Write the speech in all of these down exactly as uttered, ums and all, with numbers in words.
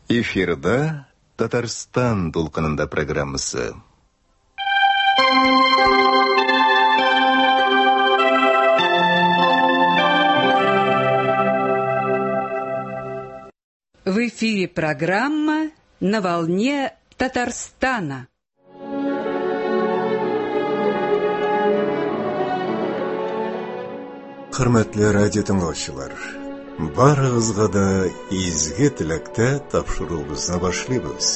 Эфирда Татарстан дулкынында программасы. В эфире программа «На волне Татарстана». Хөрмәтле радио тыңлаучылар, барыгызга да изге теләктә тапшыруыбызны башлыйбыз.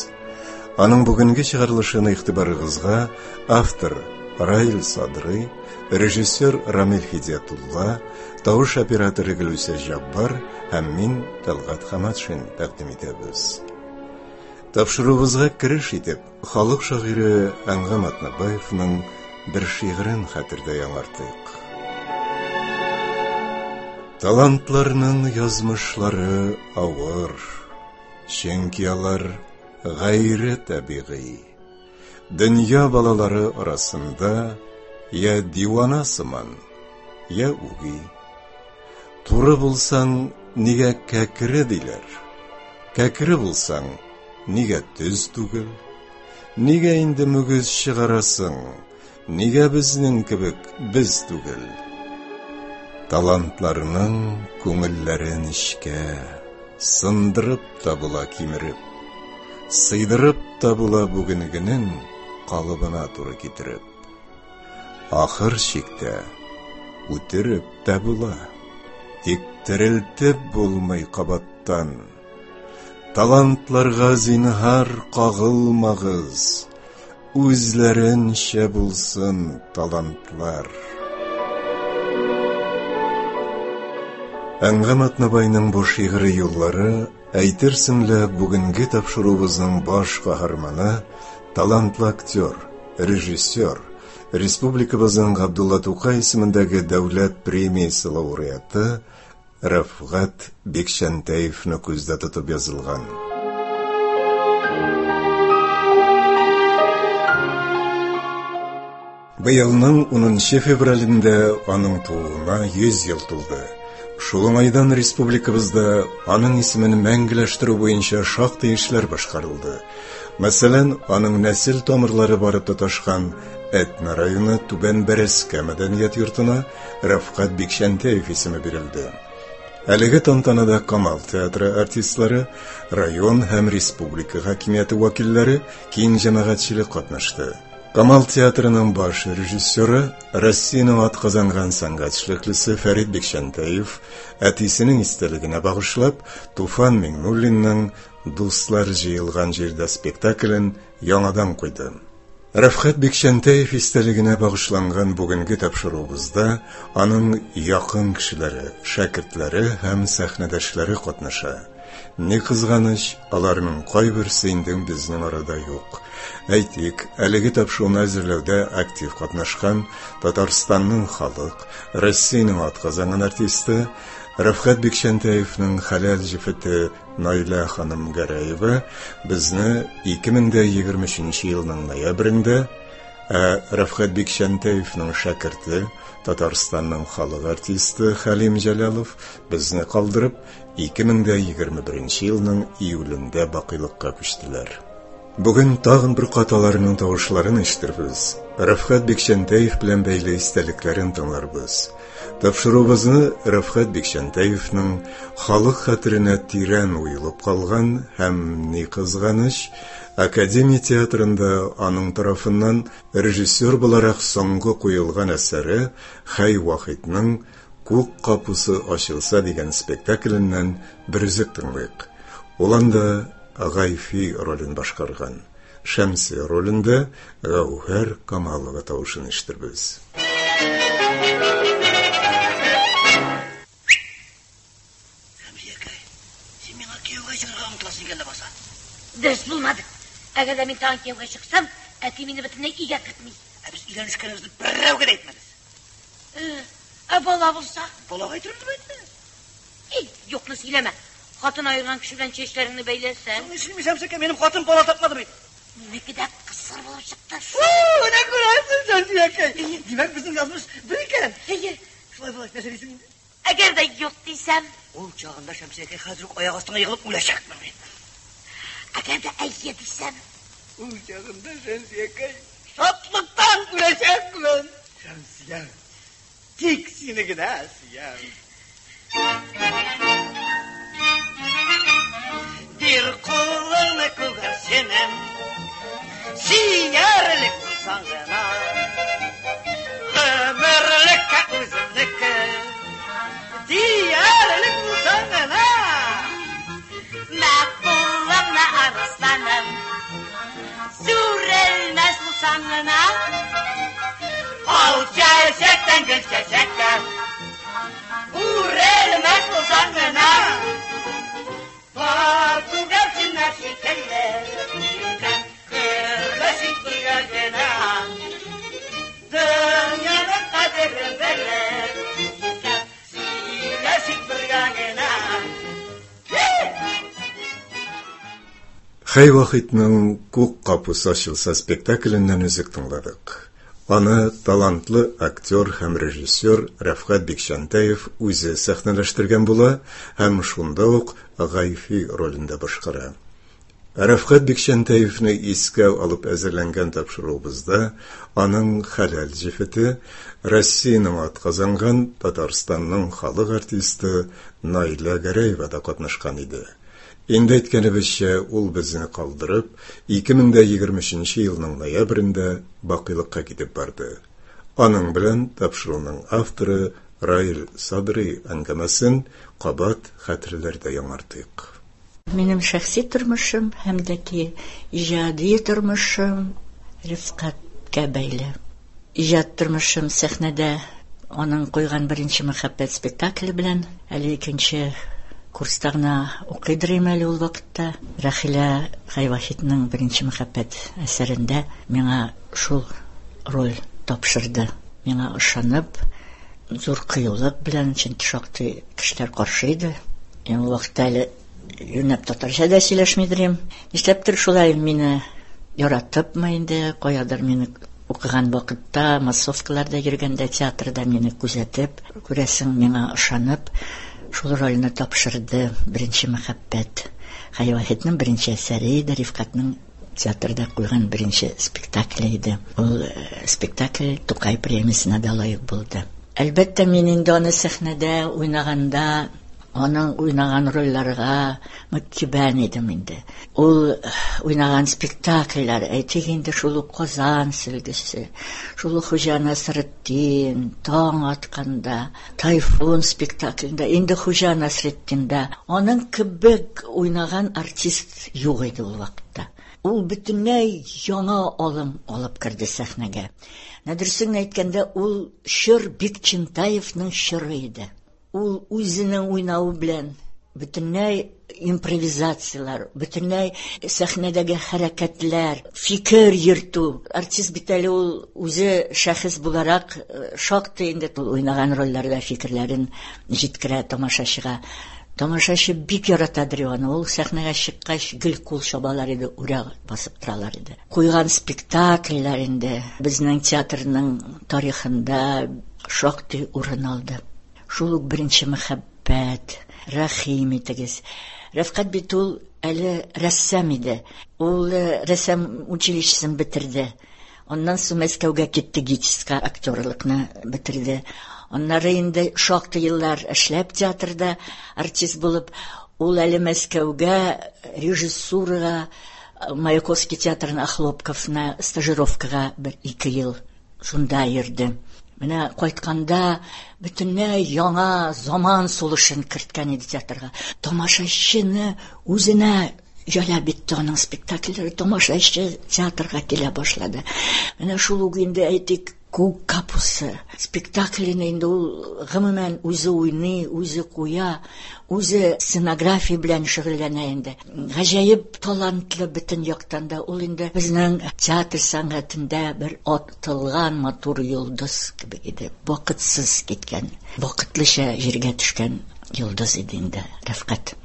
Аның бүгенге чыгарылышын игътибарыгызга автор Раил Садрый, режиссер Рамил Хидиятулла, тавыш операторы Гөлүсә Җаббар һәм мин Талгат Хаматшин тәкъдим итәбез. Тапшыруыбызга кереш итеп, халык шагыйре Әнгам Атнабаевның бер шигырен хәтердә яңартыйк. Талантларның язмышлары авыр, чөнки алар гайре табигый. Дөнья балалары арасында я дивана сыман, я үги. Туры булсаң, нигә кәкре диләр? Кәкре булсаң, нигә төз түгел? Нигә инде мөгез чыгарасың? Нигә безнең кебек без түгел? Талантларның күңелләре нечкә, сындырып та була кимереп, сыйдырып та була бүгенгенең калыбына туры китереп. Ахыр чиктә үтереп тә була, тик терелтеп булмый кабаттан. Талантларга зинһар кагылмагыз, үзләренчә булсын талантлар. Әнгам Атнабайның бу шигъри юллары әйтерсең лә бүгенге тапшыруыбызның баш каһарманы, талантлы актер, режиссер, республикабызның Габдулла Тукай исемендәге дәүләт премиясе лауреаты Рәфгать Бикчәнтәевне күздә тотып язылган. Быелның унынчы февралендә аның тууына йөз ел тулды. Шул уңайдан республикабызда аның исемен мәңгеләштерү буенча шактый эшләр башкарылды. Мәсәлән, аның нәсел тамырлары барып тоташкан Әтнә районы Түбән Бәрәскә мәдәният йортына Рәфгать Бикчәнтәев исеме бирелде. Әлеге тантанада Камал театры артистлары, район һәм республика хакимияте вәкилләре, киң җәмәгатьчелек катнашты. Камал театрының баш режиссеры, Россиянең атказанган сәнгать эшлеклесе Фәрит Бикчәнтәев әтисенең истәлегенә багышлап, Туфан Миңнуллинның «Дуслар җыелган җирдә» спектаклен яңадан куйды. Рәфгать Бикчәнтәев истәлегенә багышланган бүгенге тапшыруыбызда аның якын кешеләре, шәкертләре һәм сәхнәдәшләре катнаша. Ни кызганыч, аларның кайберсе инде безнең арада юк. Әйтик, әлеге тапшыруны әзерләүдә актив катнашкан Татарстанның халык, Россиянең атказанган артисты Рәфгать Бикчәнтәевнең хәләл җефете Наилә ханым Гәрәева безне ике мең дә егерме өченче елның ноябрендә, ә Рәфгать Бикчәнтәевнең шәкерте, Татарстанның халык артисты Хәлим Җәләлов безне калдырып, ике мең дә егерме беренче елның июлендә бакыйлыкка күчтеләр. Бүген тагын бер кат аларның тавышларын ишетербез. Рәфгать Бикчәнтәев белән бәйле истәлекләрен тыңларбыз. Тапшыруыбызны Рәфгать Бикчәнтәевнең халык хәтеренә тирән уелып калган һәм, ни кызганыч, Академия театрында аның тарафыннан режиссер буларак соңгы куелган әсәре Хәй Вахитның «Күк капусы ачылса» дигән спектакленнән бер өзек тыңлыйк. Ул анда Гайфи ролен башкарган. Шәмси ролендә Гәүһәр Камалова тавышын ишетербез. Шәмсиякәй, син миңа кияүгә чыгарга омтыласың икән ләбаса. Дөрес булмады. Әгәр дә мин тагын кияүгә чыксам, әти мине бөтенләй өйгә кертми. Ә без өйләнешкәнебезне берәүгә дә әйтмәдек. Ә бала булса? Балага әйтербез бит. Эй, юкны сөйләмә. Хатын айырган кеше белән чәчләреңне бәйләсәң. Ни Шәмсиякәй, минем хатын бала тапмады бит. Минеке дә кысыр булып чыкты. Менә күрәсең, Шәмсиякәй. Димәк, безнең язмыш бер икән. Әйе. Шулай булгач, нәрсә дисең инде? Әгәр дә юк дисәм, Ул чагында Шәмсиякәй хәзер үк аяк астыңа егылып үләчәкмен мин. әгәр дә әйе дисәм, Ул чагында Шәмсиякәй шатлыктан үләчәкмен. Шәмсия, тик сине генә сөям. Бир кулыңны күгәрченем, сөярлек булсаң гына. Гомерлеккә үземнеке, диярлек булсаң гына. Мә кулыңны арысланым, сүрелмәс булсаң гына. Ал чәчәктән гөл чәчәккә, үрелмәс булсаң гына. Бар күгәрченнәр шикелле, гөрләшеп бергә генә. Дөньяның кадерен белеп, сөйләшеп бергә генә. Хәй Вахитның Күк капусы ачылса спектакленнән өзек тыңладык. Аны талантлы актер һәм режиссер Рәфгать Бикчәнтәев үзе сәхнәләштергән була һәм шунда ук Гайфи ролендә башкара. Рәфгать Бикчәнтәевне искә алып әзерләнгән тапшыруыбызда аның хәләл җефете, Россиянең атказанган Татарстанның халык артисты Наилә Гәрәева да катнашкан иде. Инде әйткәнебезчә, ул безне калдырып, ике мең дә егерме өченче елның ноябрендә бакыйлыкка китеп барды. Аның белән тапшыруның авторы Раил Садри әңгәмәсен кабат хәтерләрдә яңартыйк. Минем шәхси тормышым һәм дә ки иҗади тормышым Рифкатькә бәйле. Иҗат тормышым сәхнәдә аның куйган беренче мәхәббәт спектакле белән, әле икенче курста гына укыйдыр идем әле ул вакытта. Рәхилә Хәйвахитның беренче мәхәббәт әсәрендә миңа шул роль тапшырды. Миңа ышанып, зур кыюлык белән, чөнки шактый кешеләр каршы иде. Мин ул вакытта әле юнәп татарча да сөйләшмидер идем. Нишләптер шулай мине яратыпмы инде, каядыр мине укыган вакытта, массовкаларда йөргәндә, театрда мине күзәтеп, күрәсең, миңа ышанып, шул рольне тапшырды. Беренче мәхәббәт. Хәйвахитның беренче әсәре иде, Рифкатның театрда куйган беренче спектакле иде. Ул, э, спектакль Тукай премиясенә дә лаек булды. Әлбәттә, мин инде аны сәхнәдә уйнаганда, аның уйнаган рольләргә мөкиббән идем инде. Ул уйнаган спектакльләр, әйтик инде, шул ук Казан сөлгесе, шул ук Хуҗа Насретдин, Таң атканда, Тайфун спектаклендә, инде Хуҗа Насретдиндә аның кебек уйнаган артист юк иде ул вакытта. Ул бөтенләй яңа алым алып керде сәхнәгә. Дөресен әйткәндә, ул чор Бикчәнтәевның чоры иде. Ул үзенең уйнавы белән бөтенләй импровизацияләр, бөтенләй сәхнәдәге хәрәкәтләр, фикер йөртү. Артист бит әле ул үзе шәхес буларак, э, шактый инде ул уйнаган рольләрдә фикерләрен җиткерә тамашачыга. Тамашачы бик яратадыр аны. Ул сәхнәгә чыккач гел кул чабалар иде, үрә басып торалар иде. Куйган спектакльләр инде безнең театрның тарихында шактый урын алды. Шул ук беренче мәхәббәт, рәхим итегез. Рәфкать бит ул әле рәссам иде. Ул, э, рәссам училищесын бетерде. Аннан соң Мәскәүгә китте, ГИТИСка актерлыкны бетерде. Аннары инде шактый еллар эшләп театрда артист булып, ул әле Мәскәүгә режиссурага, Маяковский театрына Охлопковна стажировкага бер ике ел шунда йөрде. Менә кайтканда бөтенләй яңа заман сулышын керткән иде театрга. Тамашачыны үзенә җәлеп итте аның спектакльләре, тамашачы театрга килә башлады. Менә шул ук инде әйтик, Күк капусы спектаклен инде ул гомумән үзе уйный, үзе куя, үзе сценография белән шөгыльләнә инде. Гаҗәеп талантлы бөтен яктан да ул инде безнең театр сәнгатендә бер атылган матур йолдыз кебек иде. Вакытсыз киткән, вакытлыча җиргә төшкән йолдыз иде инде Рәфкать.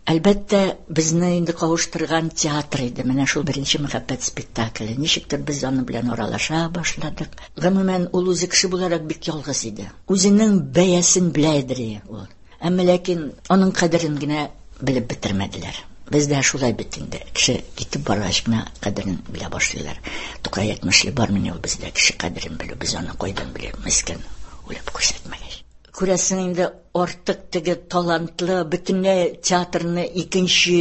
Әлбәттә, безне инде кавыштырган театр иде. Менә шул беренче мәхәббәт спектакле. Ничектер без аның белән аралаша башладык. Гомумән, ул үзе кеше буларак бик ялгыз иде. Үзенең бәясен белә иде ул. Әмма ләкин аның кадерен генә белеп бетермәделәр. Бездә шулай бит инде. Кеше китеп баргач кына кадерен белә башлыйлар. Тукай әйтмешли, бармыни ул бездә кеше кадерен белү, без аны кайдан белербез икән, үлеп күрсәтмәгәч. Күрәсең инде, артык теге талантлы, бөтенләй театрны икенче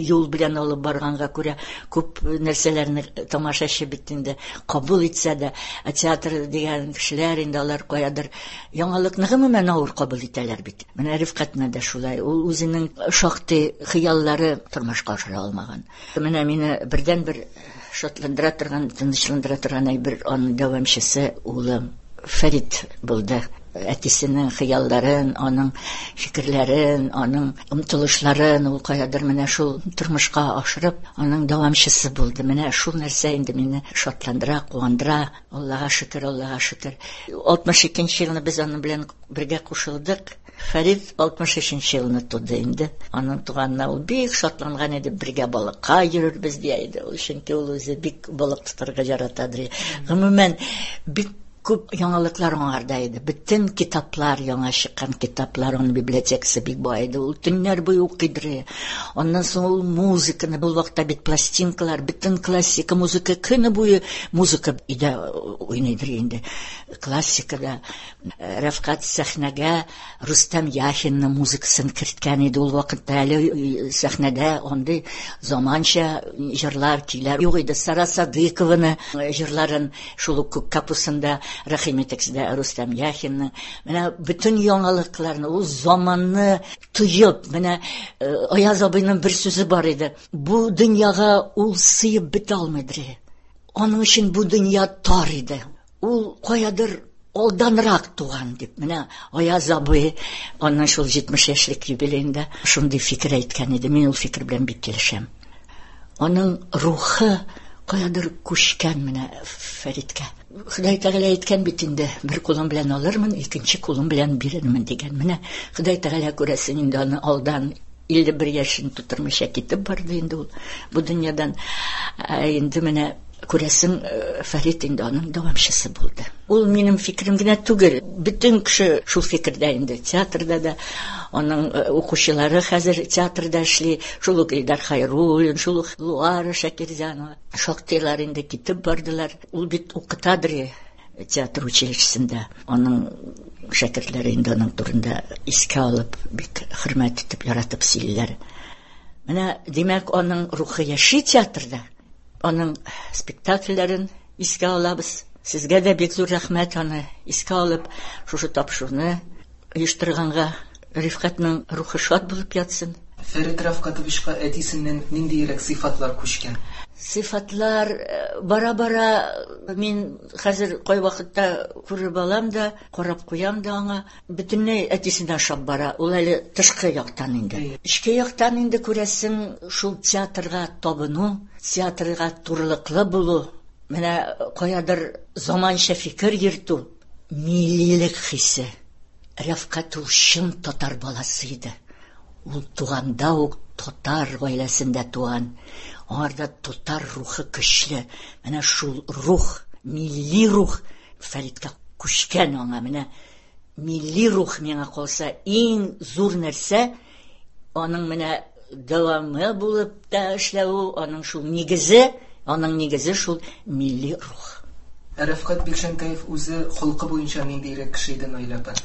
юл белән алып барганга күрә күп нәрсәләрне тамашачы бит инде кабул итсә дә, ә театр дигән кешеләр инде алар каядыр яңалыкны гомумән авыр кабул итәләр бит. Менә Рифкатны да шулай, ул үзенең шактый хыяллары тормышка ашыра алмаган. Менә мине бердәнбер шатландыра торган, тынычландыра торган әйбер аның дәвамчысы улым Фәрит булды. Әтисенең хыялларын, аның фикерләрен, аның омтылышларын ул каядыр менә шул тормышка ашырып, аның дәвамчысы булды. Менә шул нәрсә инде мине шатландыра, куандыра. Аллага шөкер, Аллага шөкер. алтмыш икенче елны без аның белән бергә кушылдык. Фәрит алтмыш өченче елны туды инде. Аның туганына ул бик шатланган иде, бергә балыкка йөрербез дия иде. Ул чөнки ул үзе бик балык тотарга яратадыр. Гомумән, бик күп яңалыклар аңарда иде. Бөтен китаплар, яңа чыккан китаплар, аның библиотекасы бик бай иде. Ул төннәр буе укыйдыр. Аннан соң ул музыканы, бу вакытта бит пластинкалар, бөтен классика музыка көне буе музыка өйдә уйныйдыр инде. Классикада Рәфкать сәхнәгә Рустам Яхинның музыкасын керткән иде. Ул вакытта әле сәхнәдә андый заманча җырлар, көйләр юк иде. Сара Садыкованы җырларын шул ук Күк капусында рәхим итегез дә Рустам Яхинның. Менә бөтен яңалыкларны, ул заманны тоеп, менә Аяз абыйның бер сүзе бар иде. Бу дөньяга ул сыеп бетә алмыйдыр. Аның өчен бу дөнья тар иде. Ул каядыр алданрак туган дип. Менә Аяз абый аның шул җитмеш яшьлек юбилеенда шундый фикер әйткән иде. Мин ул фикер белән бик килешәм. Аның рухы каядыр күчкән менә Фәриткә. Ходай Тәгалә әйткән бит инде, бер кулым белән алырмын, икенче кулым белән бирермен дигән. Менә Ходай Тәгалә күрәсең инде аны алдан илле бер яшен тутырмыйча китеп барды инде ул бу дөньядан. Ә инде менә күрәсең, Фәрит инде аның дәвамчысы булды. Ул минем фикерем генә түгел, бөтен кеше шул фикердә инде. Театрда да аның укучылары хәзер театрда эшли, шул ук Илдар Хайруллин, шул ук Луара Шакирзянова. Шактыйлар инде китеп бардылар. Ул бит укытадыр театр училищесында. Аның шәкертләре инде аның турында искә алып, бик хөрмәт итеп, яратып сөйлиләр. Менә, димәк, аның рухы яши театрда. Аның спектакльләрен искә алабыз. Сезгә дә бик зур рәхмәт аны искә алып, шушы тапшыруны оештырганга. Рифкатның рухы шат булып ятсын. Фәрит Рәфкатовичка әтисеннән ниндиерәк сыйфатлар күчкән? Сыйфатлар бара-бара мин хәзер кайвакытта күреп алам да, карап куям да аңа. Бөтенләй әтисенә ошап бара. Ул әле тышкы яктан инде. Эчке яктан инде күрәсең, шул театрга табыну, театрга турылыклы булу, менә каядыр заманча фикер йөртү, миллилек хисе. Рәфкать ул чын татар баласы иде. Ул туганда ук татар гаиләсендә туган. Аңарда татар рухы көчле. Менә шул рух, милли рух Фәриткә күчкән аңа. Менә милли рух миңа калса иң зур нәрсә, аның менә дәвамы булып та эшләве, аның шул нигезе, аның нигезе шул милли рух. Рәфкать Бикчәнтәев үзе холкы буенча ниндиерәк кеше иде, Наилә апа?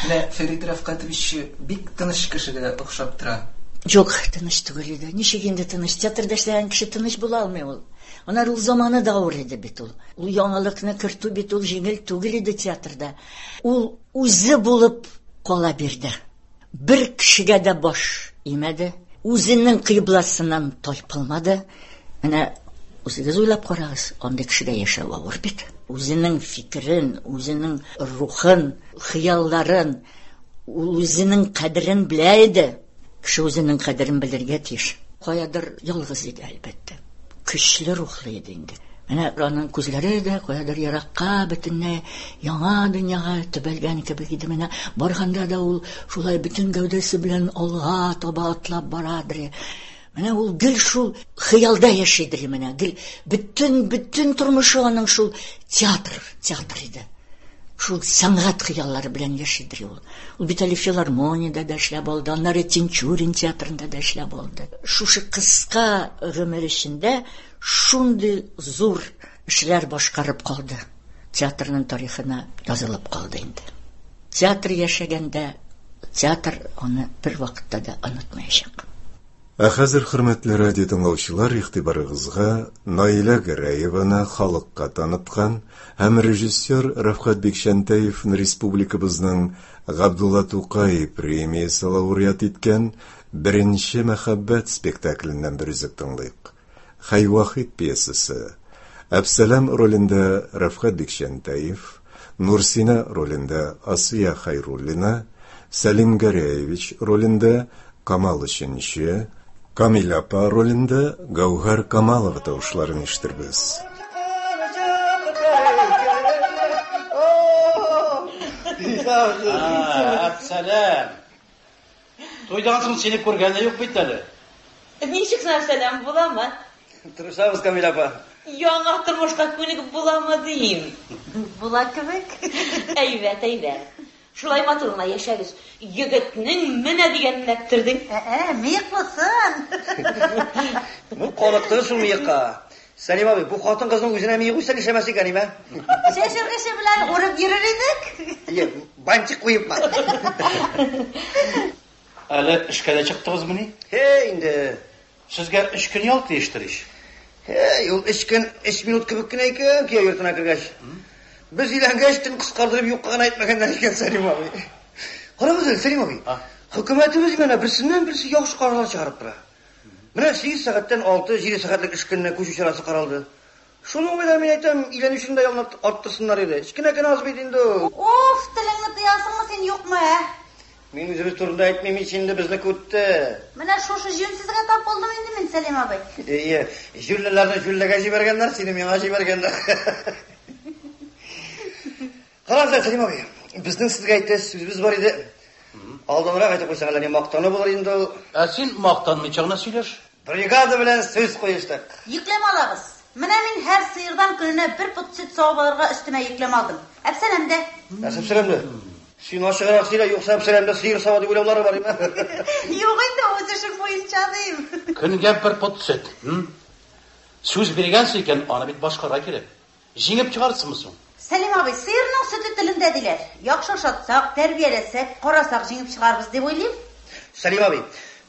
Менә Фәрит Рәфкатович бик тыныч кешегә охшап тора. Юк, тыныч түгел иде. Ничек инде тыныч? Театрда эшләгән кеше тыныч була алмый ул. Аннары ул заманы да авыр иде бит ул. Ул яңалыкны кертү бит ул җиңел түгел иде театрда. Ул үзе булып кала бирде. Бер кешегә дә баш имәде. Үзенең кыйбласыннан тайпылмады. Менә үзегез уйлап карагыз, андый кешегә яшәү авыр бит. Үзенең фикерен, үзенең рухын, хыялларын, ул үзенең кадерен белә иде. Кеше үзенең кадерен белергә тиеш. Каядыр ялгыз иде, әлбәттә. Көчле рухлы иде инде. Менә аның күзләре дә каядыр еракка, бөтенләй яңа дөньяга төбәлгән кебек иде. Менә барганда да ул шулай бөтен гәүдәсе белән алга таба атлап барадыр. Менә ул гел шул хыялда яшидер менә. Гел бөтен бөтен тормышы аның шул театр, театр иде. Шул сәнгать хыяллары белән яшидер ул. Ул бит әле филармониядә дә эшләп алды, аннары Тинчурин театрында да эшләп алды. Шушы кыска гомер эчендә шундый зур эшләр башкарып калды. Театрның тарихына язылып калды инде. Театр яшәгәндә театр аны бер вакытта да онытмаячак. Ә хәзер, хөрмәтле радио тыңлаучылар, игътибарыгызга Наилә Гәрәеваны халыкка таныткан һәм режиссер Рәфкать Бикчәнтәевны республикабызның Габдулла Тукай премиясе лауреат иткән Беренче мәхәббәт спектакленнән бер өзек тыңлыйк. Хәй Вахит пьесасы. Әпсәләм ролендә Рәфкать Бикчәнтәев, Нурсина ролендә Асия Хайруллина, Сәлим Гәрәевич ролендә Камал Өченче, Камил апа ролендә Гәүһәр Камалова тавышларын ишетербез. Әпсәләм. Туйдан соң сине күргәне юк бит әле. Ничек Әпсәләм, буламы? Тырышабыз, Камил апа. Яңа тормышка күнегеп буламы дим. Була кебек. Әйбәт, әйбәт. Шулай матур гына яшәгез. Егетнең менә дигәнен эләктердең. Ә, мыеклысын. Бу калыкты шул мыекка. Сәлим абый, бу хатын кызның үзенә мыек үсә нишләмәс икән, име? Чәчергече белән урып йөрер идек. Ие, бантик куеп. Әле эшкә дә чыктыгызмыни? Һе, инде. Сезгә өч көн ял тиештер ич. Һе, ул өч көн, өч минут кебек кенә икән, кияү йортына кергәч. Без өйләнгәч, төн кыскардырып юкка гына әйтмәгәннәр икән, Сәлим абый. Карагыз әле, Сәлим абый. Хөкүмәтебез менә берсеннән берсе яхшы карарлар чыгарып тора. Менә сигез сәгатьтән алты, җиде сәгатьлек эш көненә күчү чарасы каралды. Шуның белән мин әйтәм, өйләнүчене дә ялны арттырсыннар иде. Кечкенә генә аз бит инде. Оф, телеңне тыясыңмы син, юкмы, ә? Мин үзебез турында әйтмим ич инде, безне күтте. Менә шушы җүнсезгә тап булдым инде мин, Сәлим абый. Ие, җүллеләрне җүллегә җибәргәннәр, сине миңа җибәргәннәр. Карагыз, Сәлим абый, безнең сезгә әйтәсе сүзебез бар иде. Алданрак әйтеп куйсаң, әллә ни мактану булыр инде ул. Ә син мактанмыйча гына сөйләш. Бригада белән сүз куештык. Йөкләмә алабыз. Менә мин һәр сыердан көненә бер пот сөт савып алырга өстемә йөкләмә алдым. Әпсәләм дә. Әпсәләм дә. Син ачыграк сөйлә, юкса Әпсәләмдә сыер сава дип уйлаулары бар име? Юк инде, үз эшем буенча дим. Көнгә бер пот сөт. Сүз биргәнсең икән, аны бит башкарга кирәк. Җиңеп чыгарсыңмы соң? Сәлим абый, сыерның сөте телендә диләр. Яхшы ашатсак, тәрбияләсәк, карасак җиңеп чыгарбыз дип уйлыйм. Сәлим абый,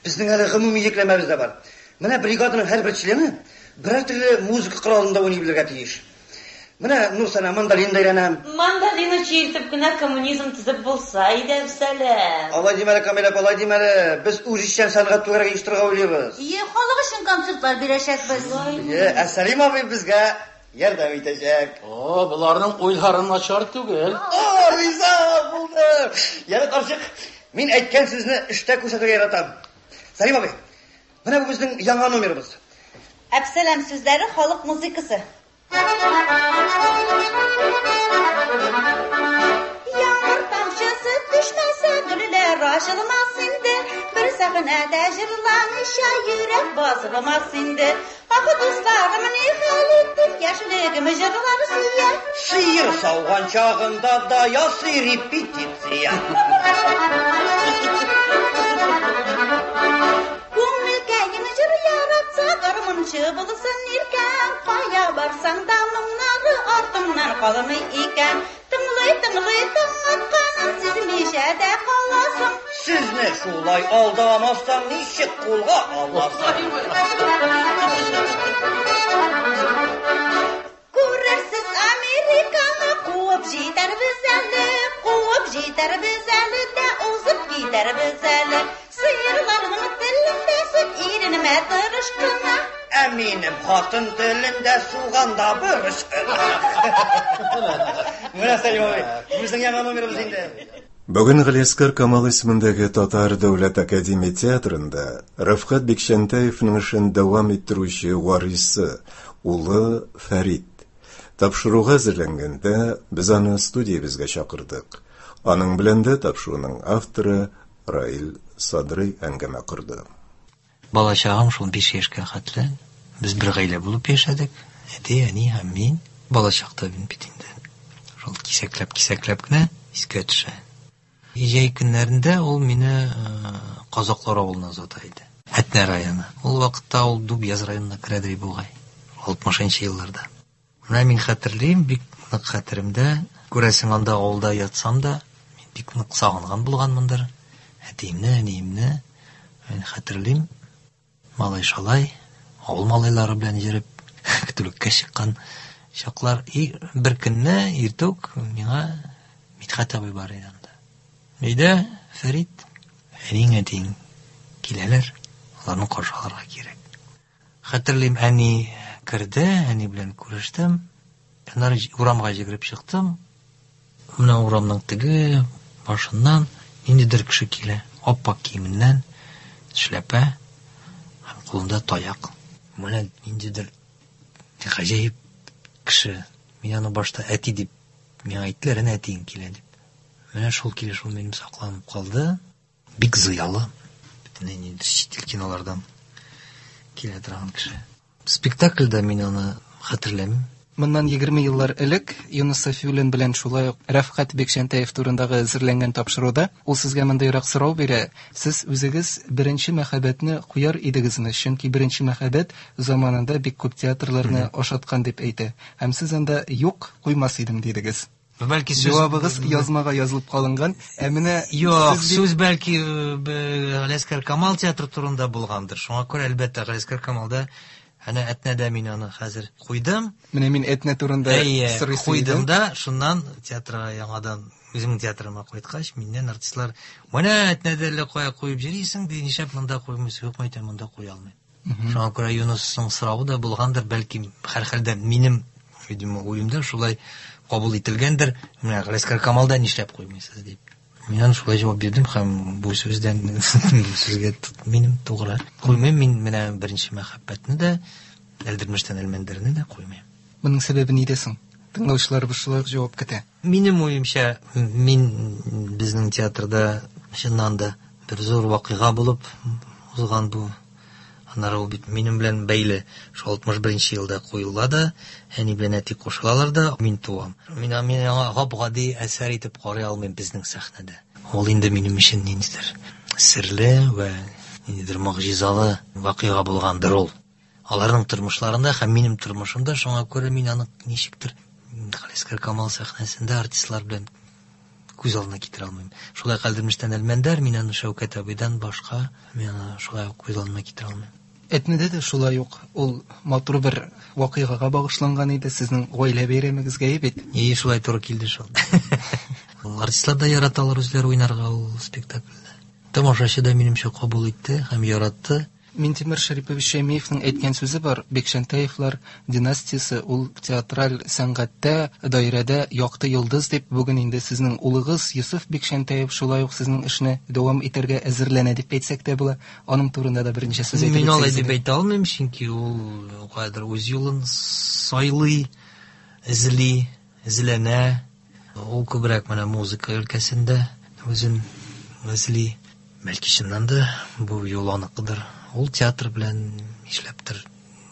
безнең әле гомуми йөкләмәбез дә бар. Менә бригаданың һәрбер члены берәр төрле музыка коралында уйный белергә тиеш. Менә Нурсана мандолинда өйрәнә. Мандолина чиертеп кенә коммунизм төзеп булса иде, Әпсәләм. Алай димә әле, Камил апа, алай димә әле. Без үзешчән сәнгать түгәрәге оештырырга уйлыйбыз. Ие, халык өчен концертлар бирәчәкбез. Ие, ә Сәлим абый безгә ярдәм итәчәк. О, боларның уйлары начар түгел. О, риза булды. Яны карчык, мин әйткән сүзне эштә күрсәтергә яратам. Сәлим абый, менә бу безнең яңа номерыбыз. Әпсәләм сүзләре халык музыкасы. Яңгыр тамчысы төшмәсә, гөлләр ачылмас инде. Бер сәхнәдә җырламыйча йөрәк басылмас инде. Ах, дусларым, ни хәл иттем, яшьлегем җырлар сөя. Сыер сауган чагында да ясый репетиция. Күңелкәем җыр яратса, гармунчы булсын иркәм. Кая барсаң да моңнары артыңнан калмый икән. Тыңлый, тыңлый, таң атканын сизмичә дә каласың. Сезне шулай алдамасам, ничек кулга аласың? Күрерсез Американы, куып җитәрбез әле, куып җитәрбез әле дә узып китәрбез әле. Сыерларның телендә сөт иренмә тырыш кына. Ә минем хатын телендә суганда борыч кына. Менә Сәлим абый, безнең яңа номерыбыз инде. Бүген Галиәсгар Камал исемендәге Татар дәүләт академия театрында Рәфкать Бикчәнтәевның эшен дәвам иттерүче варисы, улы Фәрит Тапшыруга әзерләнгәндә без аны студиябезгә чакырдык. Аның белән дә тапшыруның авторы Раил Садрый әңгәмә корды. Балачагым шул биш яшькә хәтле без бер гаилә булып яшәдек. Әти, әни һәм мин. Балачакта мин бит инде шул кисәкләп-кисәкләп кенә искә төшә. Җәй көннәрендә ул мине Казаклар авылына озата иде. Әтнә районы. Ул вакытта ул Дубъяз районына керәдер бугай. алтмышынчы елларда. Менә мин хәтерлим, бик нык хәтеремдә. Күрәсең, анда авылда ятсам да, мин бик нык сагынган булганмындыр. Әтиемне, әниемне мин хәтерлим. Малай-шалай, авыл малайлары белән йөреп, көтүлеккә чыккан чаклар. И бер көнне иртүк миңа Мидхәт абый бар иде анда. Өйдә Фәрит, әниң, әтиң киләләр, аларны каршы алырга кирәк. Хәтерлим, әни керде, әни белән күрештем. Аннары урамга йөгереп чыктым. Менә урамның теге башыннан ниндидер кеше килә, ап-ак киеменнән, шляпа һәм кулында таяк. Менә ниндидер гаҗәеп кеше. Мин аны башта әти дип миңа әйттеләр, әнә әтиең килә дип. Менә шул килеш ул минем сакланып калды. Бик зыялы, бөтенләй ниндидер чит ил кинолардан килә торган кеше. Спектакльдә мин аны хәтерләмим. Моннан егерме еллар элек Юныс Сафиуллин белән шулай ук Рәфкать Бикчәнтәев турындагы әзерләнгән тапшыруда ул сезгә мондыйрак сорау бирә: сез үзегез беренче мәхәббәтне куяр идегезме? Чөнки беренче мәхәббәт заманында бик күп театрларны ашаткан дип әйтә. Һәм сез анда юк, куймас идем дидегез. Бәлки сүз Җавабыгыз язмага язылып калынган. Ә менә Юк, сүз бәлки Галиәсгар Камал театры турында булгандыр. Шуңа күрә әлбәттә Галиәсгар Камалда әнә Әтнәдә мин аны хәзер куйдым. Менә мин Әтнә турында сорыйсым куйдым да, шуннан театрга яңадан үземнең театрыма кайткач, миннән артистлар: "Менә Әтнәдә әллә кая куеп йөрисең, ди, нишләп монда куймыйсың?" Юк, әйтәм, монда куя алмыйм. Шуңа күрә Юнысның соравы да булгандыр, бәлки һәрхәлдә минем, видимо, уемда шулай кабул ителгәндер. Менә Галиәсгар Камалда нишләп куймыйсыз дип. Мин аны шулай җавап бирдем һәм бу сүздән бу сүзгә минем тугры. Куймыйм мин менә беренче мәхәббәтне дә, Әлдермештән Әлмәндәрне дә куймыйм. Моның сәбәбе нидә соң? Тыңлаучыларыбыз шулай ук җавап көтә. Минем уемча, мин безнең театрда чыннан да бер зур вакыйга булып узган бу. Аннары ул бит минем белән бәйле. Шул алтмыш беренче елда куела да, әни белән әти кушылалар да, мин туам. Мин, мин аңа гап-гади әсәр итеп карый алмыйм безнең сәхнәдә. Ул инде минем өчен ниндидер серле вә ниндидер могҗизалы вакыйга булгандыр ул. Аларның тормышларында һәм минем тормышымда, шуңа күрә мин аны ничектер Галиәсгар Камал сәхнәсендә артистлар белән күз алдына китерә алмыйм. Шулай Әлдермештән Әлмәндәр, мин аны Шәүкәт абыйдан башка, мин аны шулай ук күз алдына китерә алмыйм. Әтнәдә дә шулай ук ул матур бер вакыйгага багышланган иде, сезнең гаилә бәйрәмегезгә бит. И, шулай туры килде шул. Артистлар да яраталар үзләре уйнарга ул спектакльдә. Тамашачы да минемчә кабул итте һәм яратты. Минтимер Шәрипович Шәймиевның әйткән сүзе бар: Бикчәнтәевлар династиясе ул театраль сәнгатьтә, даирәдә якты йолдыз дип. Бүген инде сезнең улыгыз Йосыф Бикчәнтәев шулай ук сезнең эшне дәвам итәргә әзерләнә дип әйтсәк тә була. Аның турында да берничә сүз әйтеп Мин алай үтсәгез дип иде. әйтә алмыйм, чөнки ул кайдыр үз юлын сайлый, эзли, эзләнә. Ул күбрәк менә музыка өлкәсендә үзен эзли. Бәлки чыннан да бу юл аныкыдыр. Ул театр белән нишләптер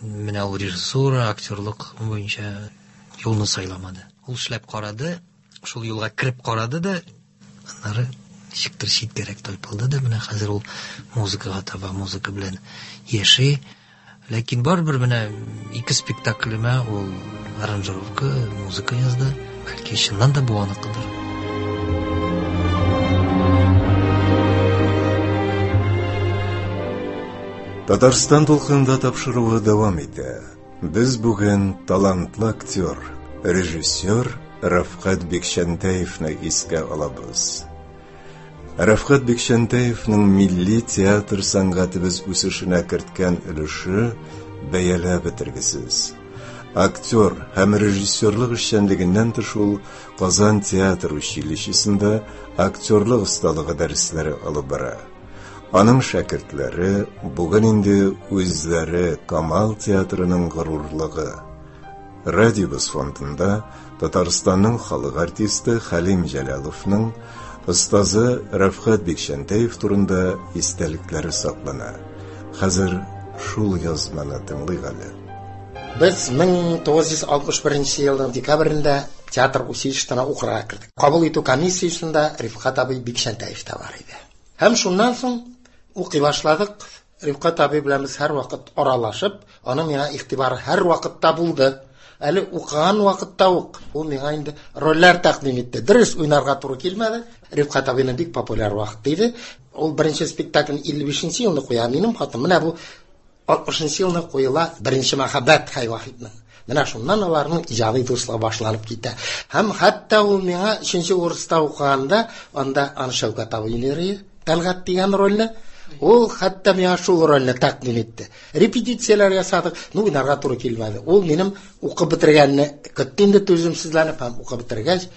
менә ул режиссура, актерлык буенча юлны сайламады. Ул эшләп карады, шул юлга кереп карады да, аннары ничектер читкәрәк тайпылды да, менә хәзер ул музыкага таба, музыка белән яши. Ләкин барыбер менә ике спектаклемә ул аранжировка, музыка язды. Бәлки чыннан да бу аныкыдыр. Татарстан дулкынында тапшыруы дәвам итә. Без бүген талантлы актер, режиссер Рәфкать Бикчәнтәевне искә алабыз. Рәфкать Бикчәнтәевнең милли театр сәнгатебез үсешенә керткән өлеше бәяләп бетергесез. Актер һәм режиссерлык эшчәнлегеннән тыш ул Казан театр училищесында актерлык осталыгы дәресләре алып бара. Аның шәкертләре бүген инде үзләре Камал театрының горурлыгы. Радиобыз фондында Татарстанның халык артисты Хәлим Җәләловның остазы Рәфкать Бикчәнтәев турында истәлекләре саклана. Хәзер шул язманы тыңлыйк әле. Без мең тугыз йөз алтмыш беренче елның декабрендә театр училищесына укырга кердек. Кабул итү комиссиясендә Рифкать абый Бикчәнтәев тә бар иде. Һәм шуннан соң укый башладык. Рифкать абый белән без һәрвакыт аралашып, аның миңа игътибары һәрвакытта булды. Әле укыган вакытта ук ул миңа инде рольләр тәкъдим итте. Дөрес уйнарга туры килмәде. Рифкать абыйның бик популяр вакыты иде. Ул беренче спектаклен илле бишенче елны куя. Минем хатым менә бу алтмышынчы елны куела беренче мәхәббәт Хәй Вахитның. Менә шуннан аларның иҗади дуслыгы башланып китә. Һәм хәтта ул миңа өченче курста укыганда, анда аны Шәүкәт абый уйный, Тәлгать дигән рольне. Ул хәтта миңа шул рольне тәкъдим итте. Репетицияләр ясадык, ну уйнарга туры килмәде. Ул минем укып бетергәнне көтте инде түземсезләнеп, һәм укып бетергәч,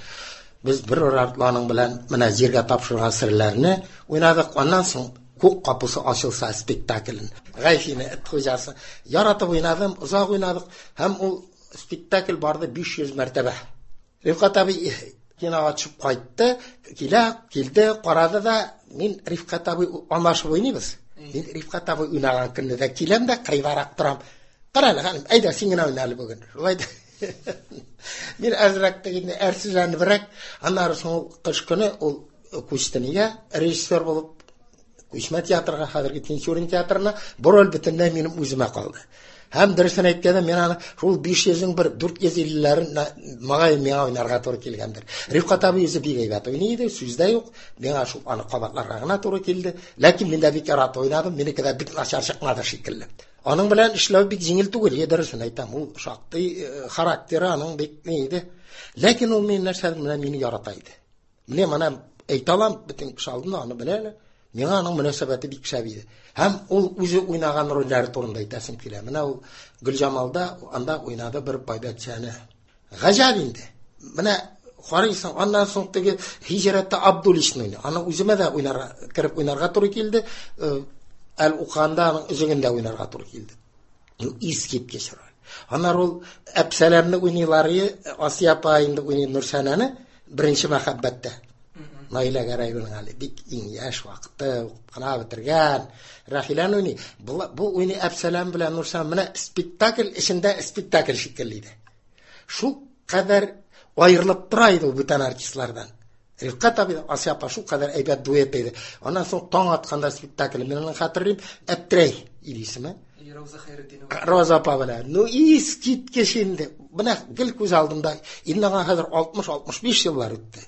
без бер артланың белән менә җиргә тапшырган серләрне уйнадык. Аннан соң Күк капусы ачылса спектаклен. Гайфине эт хуҗасы яратып уйнадым, озак уйнадык һәм ул спектакль барды биш йөз мәртәбә. Рифкать абый кинога төшеп кайтты, килә, килде, карады да, мин Рифкать абый алмашып уйныйбыз. Мин Рифкать абый уйнаган көнне дә киләм дә кырыйдарак торам. Кара әле, ханым, әйдә син генә уйна әле бүген. Шулай да. Мин әзрәк тә инде әрсезләнебрәк, аннары соң ул кыш көне ул күчте нигә режиссер булып Күчмә театрга, хәзерге Тинчурин театрына, бу роль бөтенләй минем үземә калды. Һәм дөресен әйткәндә, мин аны шул биш йөзнең бер дүрт йөз иллеләрен мага миңа уйнарга туры килгәндер. Рифкать абый үзе бик әйбәт уйный иде, сүз дә юк. Миңа шул аны кабатларга гына туры килде. Ләкин мин дә бик яратып уйнадым, минеке дә бик начар чыкмады шикелле. Аның белән эшләү бик җиңел түгел, е, дөресен әйтәм, ул шактый, э, характеры аның бик ни иде. Ләкин ул мине нәрсәдер менә мине ярата иде. Менә моны әйтә алам, бөтен кеше алдында аны белә әле. Миңа аның мөнәсәбәте бик шәп иде. Һәм ул үзе уйнаган рольләре турында әйтәсем килә. Менә ул Гөлҗамалда анда уйнады бер байбәтчәне. Гаҗәп инде. Менә карыйсың, аннан соң теге Һиҗрәттә Абдуллишны уйный. Аны үземә дә уйнарга, кереп уйнарга туры килде. Э, әле укыганда аның үзегендә уйнарга туры килде. Ул искиткеч роль. Аннары ул Әпсәләмне уйныйлар, Асия апа инде уйный Нурсәнәне беренче мәхәббәттә. Наилә Гәрәеваның әле бик иң яшь вакыты, укып кына бетергән. Рәхиләне уйный. Бу, бу уйный Әпсәләм белән Нурсәнә менә спектакль эчендә спектакль шикелле иде. Шул кадәр аерылып тора иде ул бүтән артистлардан. Рифкать абый, Асия апа шул кадәр әйбәт дуэт иде. Аннан соң таң атканда спектакль, мин аны хәтерлим, Әптерәй иде исеме. Роза Хәйретдинова. Роза апа белән. Ну, искиткеч инде. Менә гел күз алдымда. Инде аңа хәзер алтмыш-алтмыш биш еллар үтте.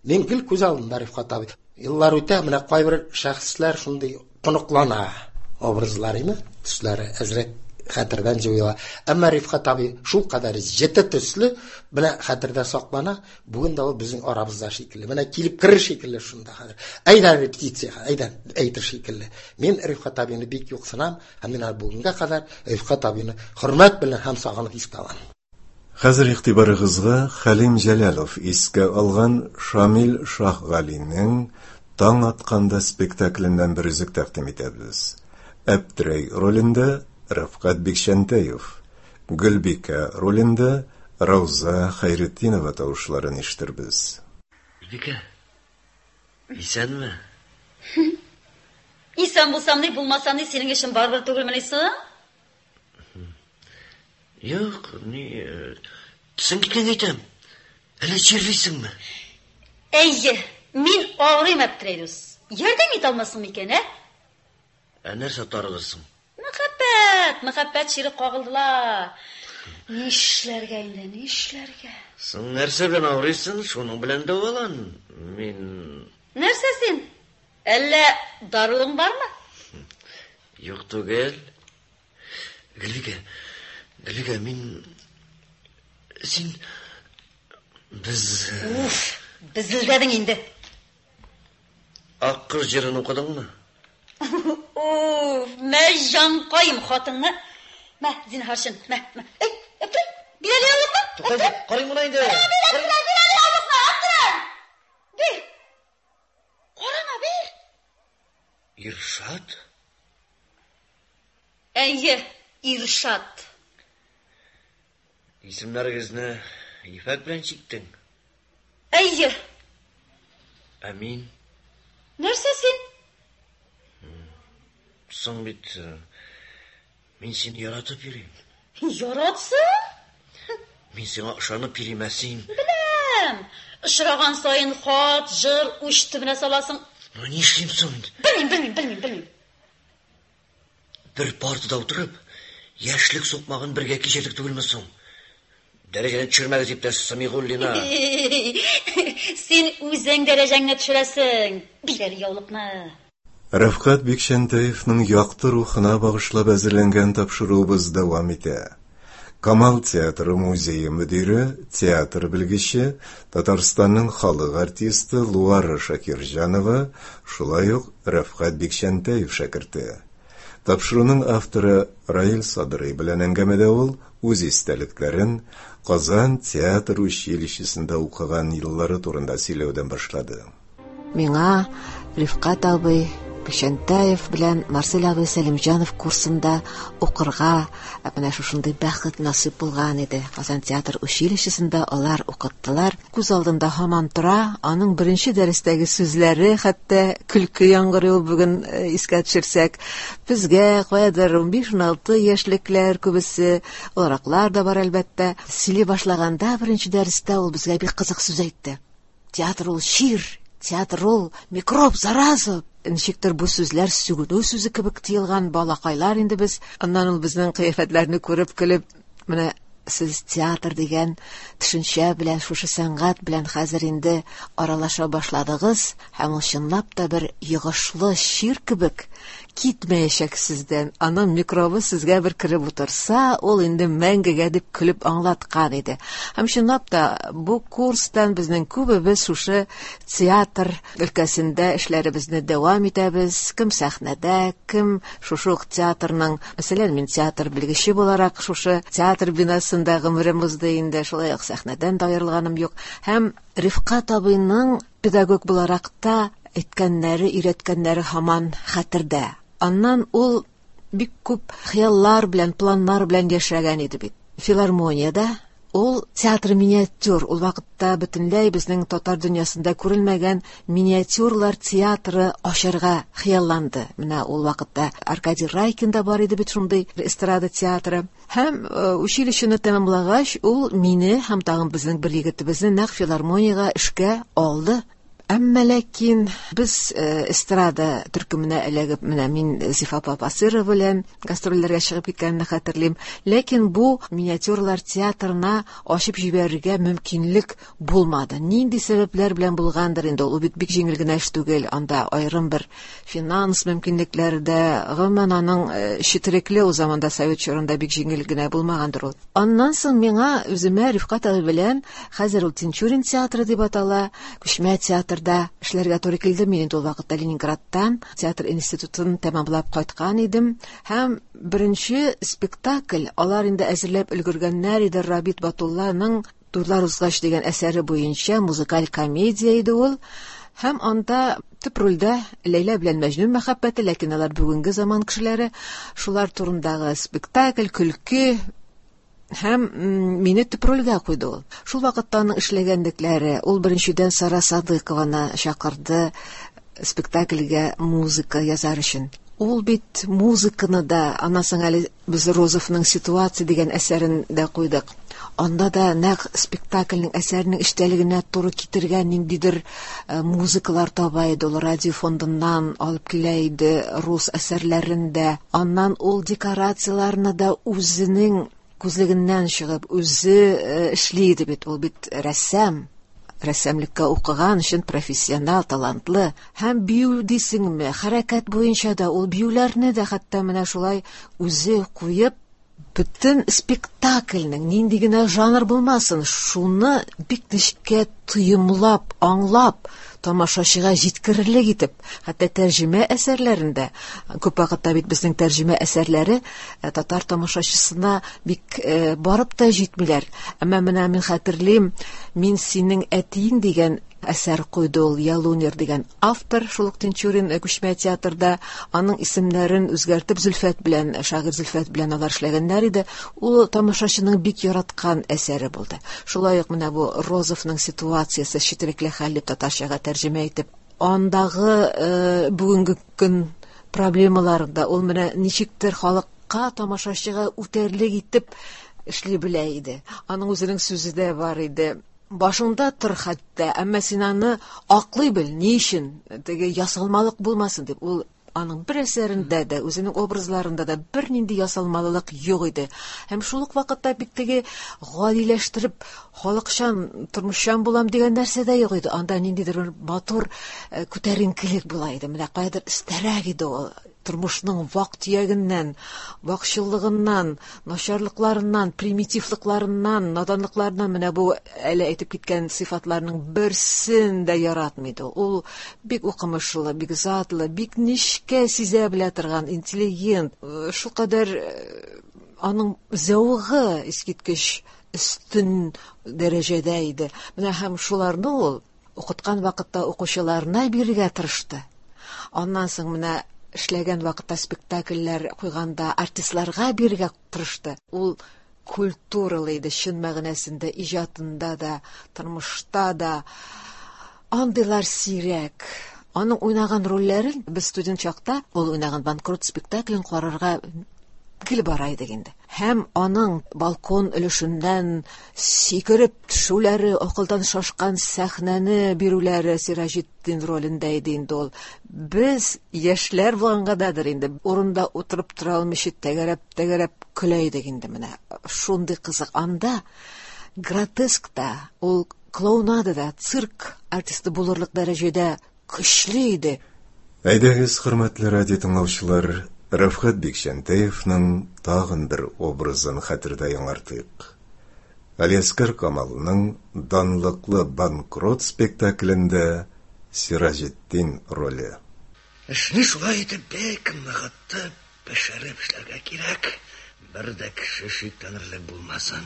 Мин гел күз алдымда Рифкать абый. Еллар үтә, менә кайбер шәхесләр шундый тоныклана образлар, име? Төсләре әзрәк хәтердән җуела. Әмма Рифкать абый шул кадәр җете төсле, менә хәтердә саклана. Бүген дә ул безнең арабызда шикелле. Менә килеп керер шикелле шунда хәзер. Әйдә репетициягә, әйдә әйтер шикелле. Мин Рифкать абыйны бик юксынам, һәм мин әле бүгенгә кадәр Рифкать абыйны хөрмәт белән һәм сагынып искә алам. Хәзер игътибарыгызга Хәлим Җәләлов искә алган Шамил Шаһгалинең Таң атканда спектакленнән бер өзек тәкъдим итәбез. Әптерәй ролендә Рәфкать Бикчәнтәев, Гөлбикә ролендә Рауза Хәйретдинова тавышларын ишетербез. Гөлбикә, исәнме? Исән булсам ни, булмасам ни, синең эшең барыбер түгелмени соң? Юк, ни, төсең киткәнгә әйтәм. Әллә чирлисеңме? Әйе, мин авырыйм, Әптерәй дус. Ярдәм итә алмассың микән, ә? Ә нәрсә тарылырсың? Мәхәббәт, мәхәббәт чире кагылдылар. Нишләргә инде, нишләргә? Соң нәрсә белән авырыйсың, шуның белән дәвалан. Мин Нәрсә син? Әллә даруың бармы? Юк түгел. Гөлбикә, Гөлбикә, мин син без Уф, безелдәдең инде. Ак кыз җырын укыдыңмы? Уф, мә җанкаем хатынны. Мә, зинһар өчен, мә, мә. Эй, Әптерәй, бир әле яулыкны. Тукта, карыйм гына инде. Бир, Әптерәй, бир әле яулыкны, Әптерәй. Бир. Карама, бир. Иршат? Әйе, Иршат. Исемнәрегезне ефәк белән чиктең. Әйе. Ә мин? Нәрсә син? Соң бит мин сине яратып йөрим. Яратсың? Мин сиңа ышанып йөрим, ә син? Беләм. Очраган саен хат, җыр уч төбенә саласың. Ну, нишлим соң инде? Белмим, белмим, белмим, белмим. Бер партада утырып, яшьлек сукмагын бергә кичердек түгелме соң? Дәрәҗәне төшермәгез, иптәш Самигуллина. Син үзең дәрәҗәңне төшерәсең. Бир әле яулыкны. Рәфкать Бикчәнтәевның якты рухына багышлап әзерләнгән тапшыруыбыз дәвам итә. Камал театры музее мөдире, театр белгече, Татарстанның халык артисты Луара Шакирҗанова, шулай ук Рәфкать Бикчәнтәев шәкерте. Тапшыруның авторы Раил Садрый белән әңгәмәдә ул үз истәлекләрен Казан театр училищесында укыган еллары турында сөйләүдән башлады. Миңа Рифкать абый Бикчәнтәев белән Марсель абый Сәлимҗанов курсында укырга менә шушындый бәхет насыйп булган иде. Казан театр училищесында алар укыттылар. Күз алдында һаман тора, аның беренче дәрестәге сүзләре, хәтта көлке яңгырый ул бүген искә төшерсәк. Безгә каядыр унбиш-уналты яшьлекләр күбесе, олыраклар да бар әлбәттә. Сөйли башлаганда беренче дәрестә ул безгә бик кызык сүз әйтте. Театр ул чир, театр ул микроб, зараза. Ничектер бу сүзләр сүгенү сүзе кебек тыелган балакайлар инде без. Аннан ул безнең кыяфәтләрне күреп көлеп, менә сез театр дигән төшенчә белән, шушы сәнгать белән хәзер инде аралаша башладыгыз, һәм ул чынлап та бер йогышлы чир кебек китмәячәк сездән. Аның микробы сезгә бер кереп утырса, ул инде мәңгегә дип көлеп аңлаткан иде. Һәм чынлап та бу курстан безнең күбебез шушы театр өлкәсендә эшләребезне дәвам итәбез. Кем сәхнәдә, кем шушы ук театрның, мәсәлән, мин театр белгече буларак шушы театр бинасында гомерем узды инде, шулай ук сәхнәдән дә аерылганым юк. Һәм Рифкать абыйның педагог буларак та әйткәннәре, өйрәткәннәре һаман хәтердә. Аннан ул бик күп хыяллар белән, планнар белән яшәгән иде бит. Филармониядә ул театр миниатюр, ул вакытта бөтенләй безнең татар дөньясында күрелмәгән миниатюрлар театры ачарга хыялланды. Менә ул вакытта Аркадий Райкин да бар иде бит шундый эстрада театры. Һәм училищены тәмамлагач, ул мине һәм тагын безнең бер егетебезне нәкъ филармониягә эшкә алды. Әмма ләкин без эстрада төркеменә эләгеп, менә мин Зифа апа Басырова белән гастрольләргә чыгып киткәнне хәтерлим. Ләкин бу миниатюрлар театрына ачып җибәрергә мөмкинлек булмады. Нинди сәбәпләр белән булгандыр инде ул, бит бик җиңел генә эш түгел. Анда аерым бер финанс мөмкинлекләре дә, гомумән аның четерекле ул заманда совет чорында бик җиңел генә булмагандыр ул. Аннан соң миңа үземә Рифкать абый белән, хәзер ул Тинчурин театры дип атала, күчмә театр да эшләргә туры килде. Мин инде ул вакытта Ленинградтан театр институтын тәмамлап кайткан идем. Һәм беренче спектакль алар инде әзерләп өлгергәннәр иде. Рабит Батулланың Туйлар узгач дигән әсәре буенча музыкаль комедия иде ул. Һәм анда төп рольдә Ләйлә белән Мәҗнүн мәхәббәте, ләкин алар бүгенге заман кешеләре, шулар турындагы спектакль, көлке. Һәм мине төп рольгә куйды ул. Шул вакытта аның эшләгәнлекләре, ул беренчедән Сара Садыкованы чакырды спектакльгә музыка язар өчен. Ул бит музыканы да, аннан соң әле без Розовның «Ситуация» дигән әсәрен дә куйдык. Анда да нәкъ спектакльнең әсәренең эчтәлегенә туры китергән ниндидер музыкалар таба иде. Ул радио фондыннан алып килә иде рус әсәрләрен дә. Аннан ул декорацияләрне дә үзенең күзлегеннән чыгып, үзе эшли иде бит. Ул бит рәссам, рәссамлыкка укыган өчен профессионал, талантлы. Һәм бию дисеңме, хәрәкәт буенча да ул биюләрне дә хәтта менә шулай үзе куеп, бөтен спектакльнең нинди генә жанр булмасын, шуны бик нечкә тоемлап, аңлап, тамашачыга җиткерерлек итеп, хәтта тәрҗемә әсәрләрендә, күп вакытта бит безнең тәрҗемә әсәрләре татар тамашачысына бик барып та җитмиләр. Әмма менә мин хәтерлим, «Мин синең әтиең» дигән әсәр куйды ул, Ялунер дигән автор, шул ук Тинчурин күчмә театрда аның исемнәрен үзгәртеп Зөлфәт белән, шагыйрь Зөлфәт белән алар эшләгәннәр иде. Ул тамашачының бик яраткан әсәре булды. Шулай ук менә бу Розовның ситуациясе четерекле хәл дип татарчага тәрҗемә итеп, андагы бүгенге көн проблемаларында ул менә ничектер халыкка, тамашачыга үтәрлек итеп эшли белә иде. Аның үзенең сүзе дә бар иде. Башыңда тор хәтта, әмма син аны аклый бел, ни өчен теге ясалмалык булмасын дип. Ул аның бер әсәрендә дә, үзенең образларында да бернинди ясалмалылык юк иде. Һәм шул ук вакытта бик теге гадиләштереп, халыкчан, тормышчан булам дигән нәрсә дә юк иде. Анда ниндидер бер матур күтәренкелек була иде. Менә каядыр өстәрәк иде ул. Тормышның вак-төягеннән, вакчыллыгыннан, начарлыкларыннан, примитивлыкларыннан, наданлыкларыннан менә бу әле әйтеп киткән сыйфатларның берсен дә яратмый иде. Ул бик укымышлы, бик затлы, бик нечкә сизә белә торган интеллигент. Шулкадәр аның зәвыгы искиткеч өстен дәрәҗәдә иде. Менә һәм шуларны ул укыткан вакытта укучыларына бирергә тырышты. Аннан соң менә эшләгән вакытта спектакльләр куйганда артистларга бирергә тырышты. Ул культуралы иде, чын мәгънәсендә, иҗатында да, тормышта да. Андыйлар сирәк. Аның уйнаган рольләрен без студент чакта ул уйнаган «Банкрот» спектаклен карарга гел бара идек инде. Һәм аның балкон өлешеннән сикереп төшүләре, акылдан шашкан сәхнәне бирүләре Сираҗетдин ролендә иде инде ул. Без яшьләр булгангадыр инде, урында утырып тора алмыйча тәгәрәп-тәгәрәп көлә идек инде менә. Шундый кызык. Анда гротеск та, ул клоунада да, цирк артисты булырлык дәрәҗәдә көчле иде. Әйдәгез, хөрмәтле радио тыңлаучылар, Рәфкать Бикчәнтәевның тагын бер образын хәтердә яңартыйк. Алиәскар Камалның данлыклы «Банкрот» спектаклендә Сираҗетдин роле. Эшне шулай итеп бик ныгытып, пешереп эшләргә кирәк. Бер дә кеше шикләнерлек булмасын.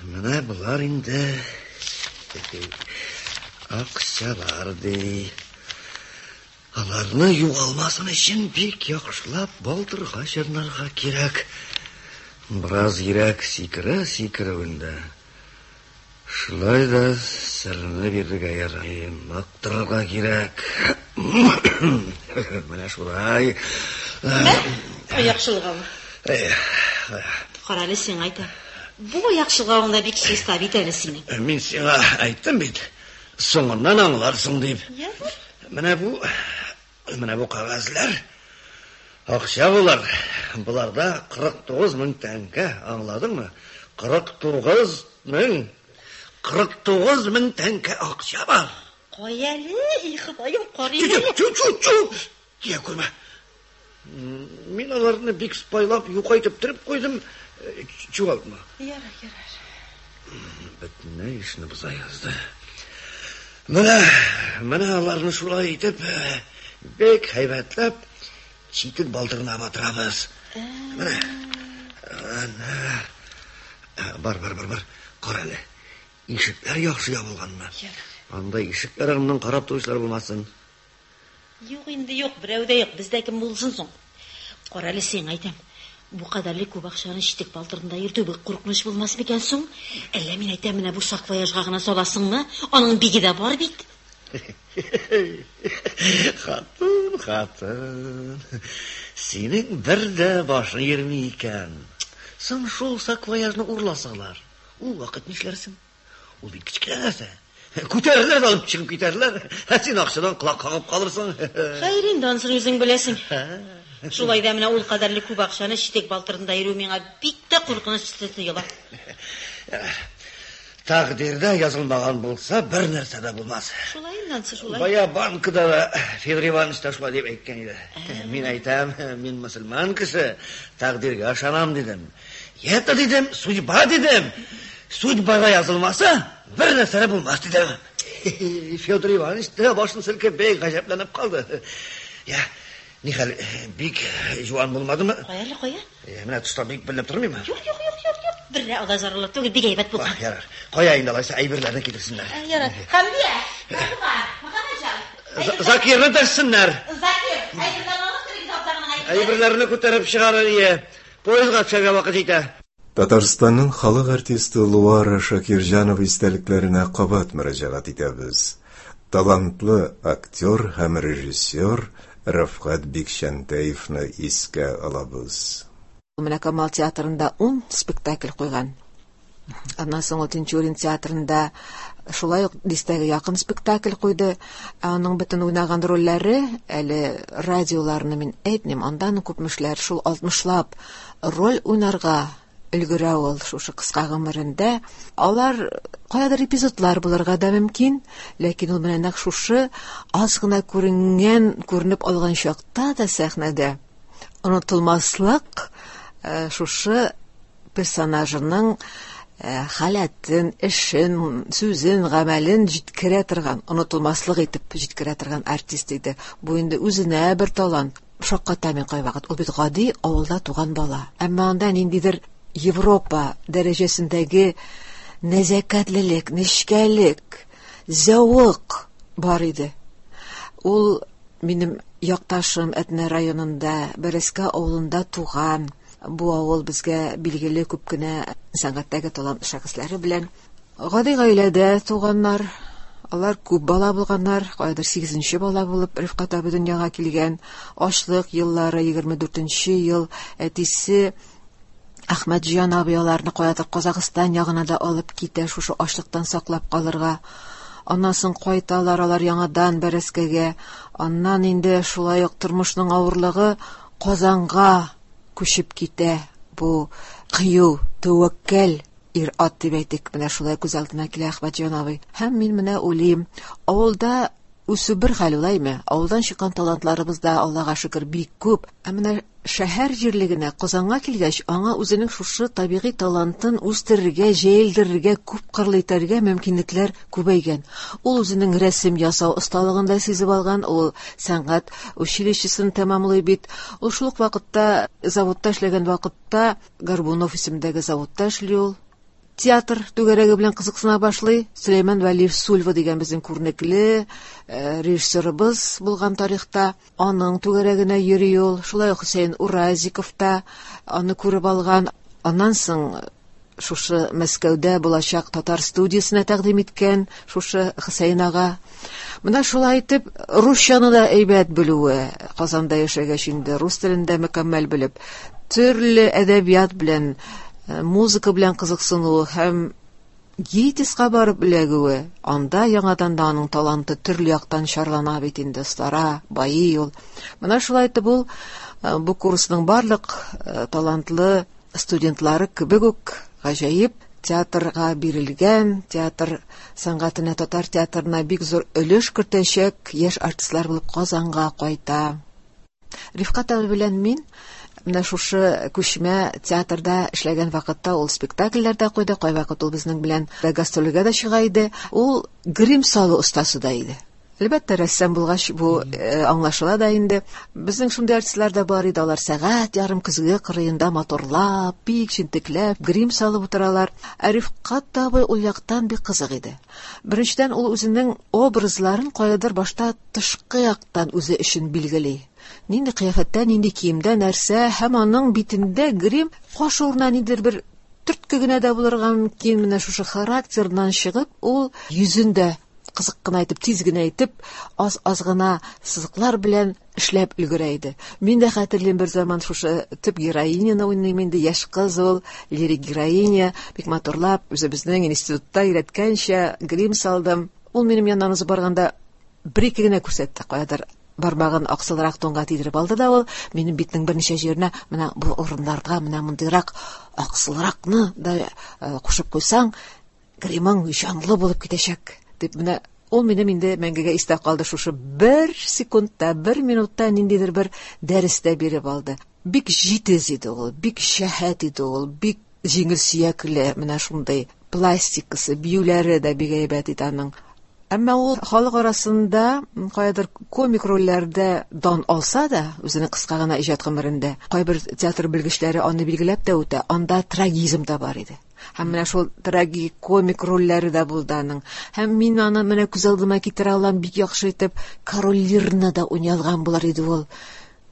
Менә болар инде акчалар ди. Аларны югалмасын өчен бик яхшылап балтырга чорнарга кирәк. Бераз йөрәк сикерә сикерүендә. Шулай да серне бирергә ярый, нык торырга кирәк. Менә шулай. Аяк чолгавы. Карале, сиңа әйтәм. Бу аяк чолгавың да бик чиста бит әле синең. Мин сиңа әйттем бит. Соңыннан аңларсың дип. Менә бу, менә бу кәгазьләр акча булар. Буларда кырык тугыз мең тәңкә, аңладыңмы? Кырык тугыз мең, кырык тугыз мең тәңкә акча бар. Кай әле, и Ходаем, карыйм әле. Чү, чү, чү. Тия күрмә. Мин аларны бик спайлап, юкайтып торып куйдым. Чуалтма. Ярар, ярар. Бөтенләй эшне боза язды. Менә, менә аларны шулай итеп, бик һәйбәтләп читек балтырына батырабыз. Менә. Бар, бар, бар, бар. Кара әле. Ишекләр яхшы ябылганмы? Анда ишекләр артыннан карап торучылар булмасын. Юк инде, юк, берәү дә юк. Бездә кем булсын соң? Кара әле, сиңа әйтәм. Бу кадәрле күп акчаны читек балтырында йөртү бик куркыныч булмас микән соң? Әллә мин әйтәм, менә бу саквояжга гына саласыңмы? Аның биге дә бар бит. Хатын, хатын. Синең бер дә башың йөрми икән. Соң шул саквояжны урласалар, ул вакыт нишләрсең? Ул бит кечкенә нәрсә. Күтәрерләр дә алып чыгып китәрләр. Ә син акчадан колак кагып калырсың. Хәер инде, анысын үзең беләсең. Шулай да менә ул кадәрле күп акчаны читек балтырында йөрү миңа бик тә куркыныч тоела. Тәкъдирдә язылмаган булса, бер нәрсә дә булмас. Шулай инде, анысы шулай. Бая банкда да Федор Иванович та шулай дип әйткән иде. Мин әйтәм, мин мөселман кеше, тәкъдиргә ышанам дидем. Это дидем, судьба дидем. Судьбага язылмаса, бер нәрсә дә булмас дидем. Федор Иванович та башын селкеп бик гаҗәпләнеп калды. Я, нихәл, бик жуан булмадымы? Кая әле, кая? Менә тышта бик беленеп тормыймы? Юк, юк, юк, юк, юк. Бер дә алай зарлы түгел, бик әйбәт булган. Ярар. Кая инде алайса әйберләрне китерсеннәр. Ярар. Хәмдия, Фатыйма, Мөхәммәтҗан. Закирны дәшсеннәр. Закир, әйберләрне алып керегез абзарның әйберләрен. Әйберләрне күтәреп чыгарыр ие. Поездга төшәргә вакыт җитә. Татарстанның халык артисты Луара Шакирҗанова истәлекләренә кабат мөрәҗәгать итәбез. Талантлы актер һәм режиссер Рәфкать Бикчәнтәевны искә алабыз. Менә Камал театрында ун спектакль куйган. Аннан соң ул Тинчурин театрында шулай ук дистәгә якын спектакль куйды. Аның бөтен уйнаган рольләре, әле радиоларны мин әйтмим, андан күпмешләр шул алтмышлап роль уйнарга өлгерә ул шушы кыска гомерендә. Алар каядыр эпизодлар булырга да мөмкин, ләкин ул менә нәкъ шушы аз гына күренгән, күренеп алган чакта да сәхнәдә онытылмаслык шушы персонажының халәтен, эшен, сүзен, гамәлен җиткерә торган, онытылмаслык итеп җиткерә торган артист иде. Бу инде үзенә бер талант. Шакката мин кайвакыт. Ул бит гади авылда туган бала. Әмма анда ниндидер Европа дәрәҗәсендәге нәзакәтлелек, нечкәлек, зәвык бар иде. Ул минем якташым Әтнә районында, Бәрәскә авылында туган. Бу авыл безгә билгеле күп кенә сәнгатьтәге талантлы шәхесләре белән. Гади гаиләдә туганнар, алар күп бала булганнар, кайдыр сигезенче бала булып Рифкать абый дөньяга килгән. Ачлык еллары, егерме дүртенче ел, әтисе Әхмәтҗан абый аларны каядыр Казахстан ягына да алып китә, шушы ачлыктан саклап калырга. Аннан соң кайталар алар яңадан Бәрәскәгә. Аннан инде шулай ук тормышның авырлыгы Казанга күчеп китә. Бу кыю, тәвәккәл ир-ат дип әйтик, менә шулай күз алдына килә Әхмәтҗан абый. Һәм мин менә уйлыйм, авылда үсү бер хәл улаймы? Авылдан чыккан талантларыбыз да, Аллага шөкер, бик күп. Ә менә шәһәр җирлегенә, Казанга килгәч, аңа үзенең шушы табигый талантын үстерергә, җәелдерергә, күп кырлы итәргә мөмкинлекләр күбәйгән. Ул үзенең рәсем ясау осталыгын да сизеп алган, ул сәнгать училищесын тәмамлый бит. Ул шул ук вакытта заводта эшләгән вакытта Горбунов исемендәге заводта эшли ул. Театр түгәрәге белән кызыксына башлый. Сөләйман Вәлиев Сульва дигән безнең күренекле режиссерыбыз булган тарихта, аның түгәрәгенә йөри ул. Шулай ук Хөсәен Уразиков та аны күреп алган. Аннан соң шушы Мәскәүдә булачак татар студиясенә тәкъдим иткән шушы Хөсәен ага. Менә шулай итеп русчаны да әйбәт белүе, Казанда яшәгәч инде рус телен дә мөкәммәл белеп, төрле әдәбият белән, музыка белән кызыксынуы һәм ГИТИСка барып эләгүе, анда яңадан да аның таланты төрле яктан чарлана бит инде, остара, байый ул. Менә шулай итеп ул бу курсның барлык талантлы студентлары кебек үк гаҗәеп театрга бирелгән, театр сәнгатенә, татар театрына бик зур өлеш кертәчәк яшь артистлар булып Казанга кайта. Рифкать абый белән мин менә шушы күчмә театрда эшләгән вакытта ул спектакльләр дә куйды, кайвакыт ул безнең белән гастрольгә дә чыга иде. Ул грим салу остасы да иде. Әлбәттә, рәссам булгач бу аңлашыла да инде. Безнең шундый артистлар да бар иде, алар сәгать ярым көзге кырыенда моторлап, бик җентекләп грим салып утыралар. Ә Рифкать абый ул яктан бик кызык иде. Беренчедән, ул үзенең образларын каядыр башта тышкы яктан үзе өчен билгели. Нинди кыяфәттә, нинди киемдә, нәрсә, һәм аның битендә грим каш урынына ниндидер бер төртке генә дә булырга мөмкин. Менә шушы характерыннан чыгып, ул йөзен дә кызык кына итеп, тиз генә итеп, аз-аз гына сызыклар белән эшләп өлгерә иде. Мин дә хәтерлим, бер заман шушы төп героиняны уйныйм инде, яшь кыз ул, лирик героиня, бик матурлап, үзебезнең институтта өйрәткәнчә грим салдым. Ул минем яннан узып барганда бер-ике генә күрсәтте, каядыр бармагын аксылрак тонга тидереп алды да ул минем битнең берничә җиренә, менә бу урыннарга менә мондыйрак аксылракны да кушып куйсаң, гримың җанлы булып китәчәк дип. Менә ул минем инде мәңгегә истә калды. Шушы бер секундта, бер минутта ниндидер бер дәрес тә биреп алды. Бик җитез иде ул, бик шәһәт иде ул, бик җиңел сөякле, менә шундый пластикасы, биюләре дә бик әйбәт иде аның. Әмма ул халык арасында каядыр комик рольләрдә дан алса да, үзенең кыска гына иҗат гомерендә, кайбер театр белгечләре аны билгеләп тә үтә, анда трагизм да бар иде. Һәм менә шул трагикомик рольләре дә булды аның. Һәм мин аны менә күз алдыма китерә алам, бик яхшы итеп Король Лирны да уйный алган булыр иде ул.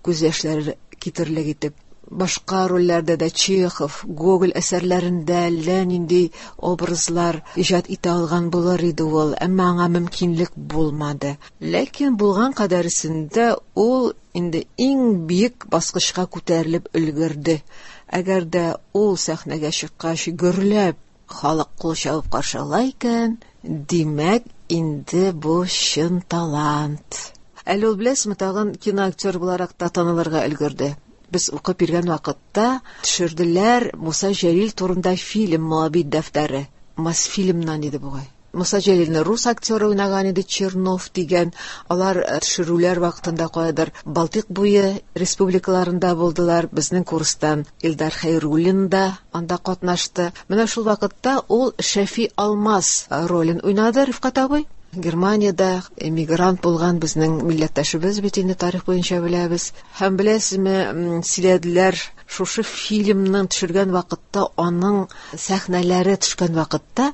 Күз яшьләре китерлек итеп. Башка рольләрдә дә Чехов, Гоголь әсәрләрендә әллә нинди образлар иҗат итә алган булыр иде ул, әмма аңа мөмкинлек булмады. Ләкин булган кадәресендә ул инде иң биек баскычка күтәрелеп өлгерде. Әгәр дә ул сәхнәгә чыккач гөрләп халык кул чабып каршы ала икән, димәк, инде бу чын талант. Әле ул, беләсезме, тагын киноактер буларак та танылырга өлгерде. Без укып йөргән вакытта төшерделәр Муса Җәлил турында фильм Моабит дәфтәре. Мосфильмнан иде бугай. Муса Җәлилне рус актеры уйнаган иде, Чернов дигән. Алар төшерүләр вакытында каядыр Балтыйк буе республикаларында булдылар. Безнең курстан Илдар Хәйруллин да анда катнашты. Менә шул вакытта ул Шәфи Алмаз ролен уйнады, Рифкать абый. Германиядә эмигрант булган безнең милләттәшебез бит инде, тарих буенча беләбез. Һәм беләсезме, сөйләделәр, шушы фильмның төшергән вакытта, аның сәхнәләре төшкән вакытта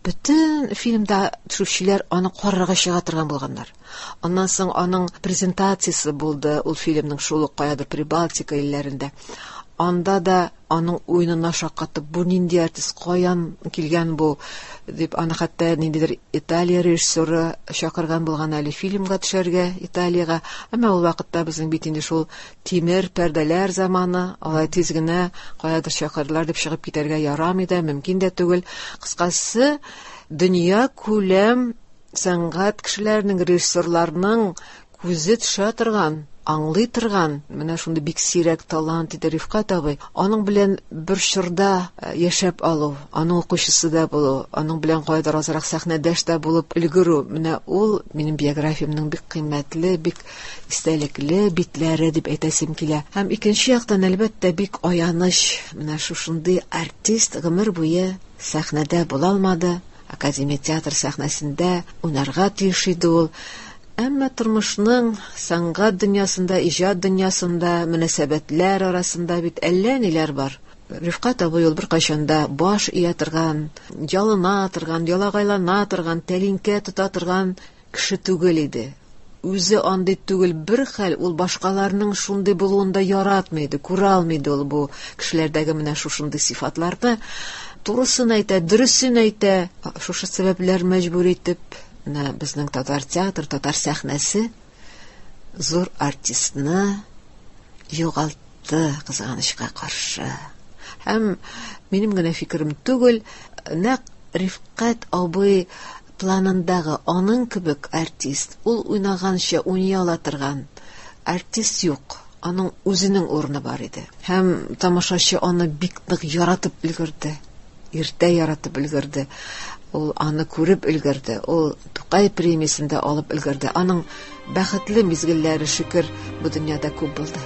бөтен фильмда төшүчеләр аны карарга чыга торган булганнар. Аннан соң аның презентациясе булды ул фильмның шул ук каядыр Прибалтика илләрендә. Анда да аның уенына шаккатып, бу нинди артист, каян килгән бу дип, аны хәтта ниндидер Италия режиссеры чакырган булган әле фильмга төшәргә Италиягә. Әмма ул вакытта безнең бит инде шул тимер пәрдәләр заманы, алай тиз генә каядыр чакырдылар дип чыгып китәргә ярамый да, мөмкин дә түгел. Кыскасы, дөнья күләм сәнгать кешеләренең, режиссерларның күзе төшә торган, аңлый торган менә шундый бик сирәк талант иде Рифкать абый. Аның белән бер чорда яшәп алу, аның укучысы да булу, аның белән кайдыр азрак сәхнәдәш тә булып өлгерү, менә ул минем биографиямнең бик кыйммәтле, бик истәлекле битләре дип әйтәсем килә. Һәм икенче яктан, әлбәттә, бик аяныч, менә шушындый артист гомер буе сәхнәдә була алмады. Академия театр сәхнәсендә уйнарга тиеш иде ул. Әмма тормышның сәнгать дөньясында, иҗат дөньясында, мөнәсәбәтләр арасында бит әллә ниләр бар. Рифкать абый ул беркайчан да баш ия торган, ялына торган, ялагайлана торган, тәлинкә тота торган кеше түгел иде. Үзе андый түгел, бер хәл ул башкаларның шундый булуын да яратмый иде, күрә алмый иде ул бу кешеләрдәге менә шушындый сыйфатларны. Турысын әйтә, дөресен әйтә. Шушы сәбәпләр мәҗбүр итеп, менә безнең татар театр, татар сәхнәсе зур артистны югалтты, кызганычка каршы. Һәм минем генә фикерем түгел, нәкъ Рифкать абый планындагы аның кебек артист, ул уйнаганча уйный ала торган артист юк. Аның үзенең урыны бар иде. Һәм тамашачы аны бик нык яратып өлгерде. Иртә яратып өлгерде. Ул аны күреп өлгерде. Ул Тукай премиясен дә алып өлгерде. Аның бәхетле мизгелләре, шөкер, бу дөньяда күп булды.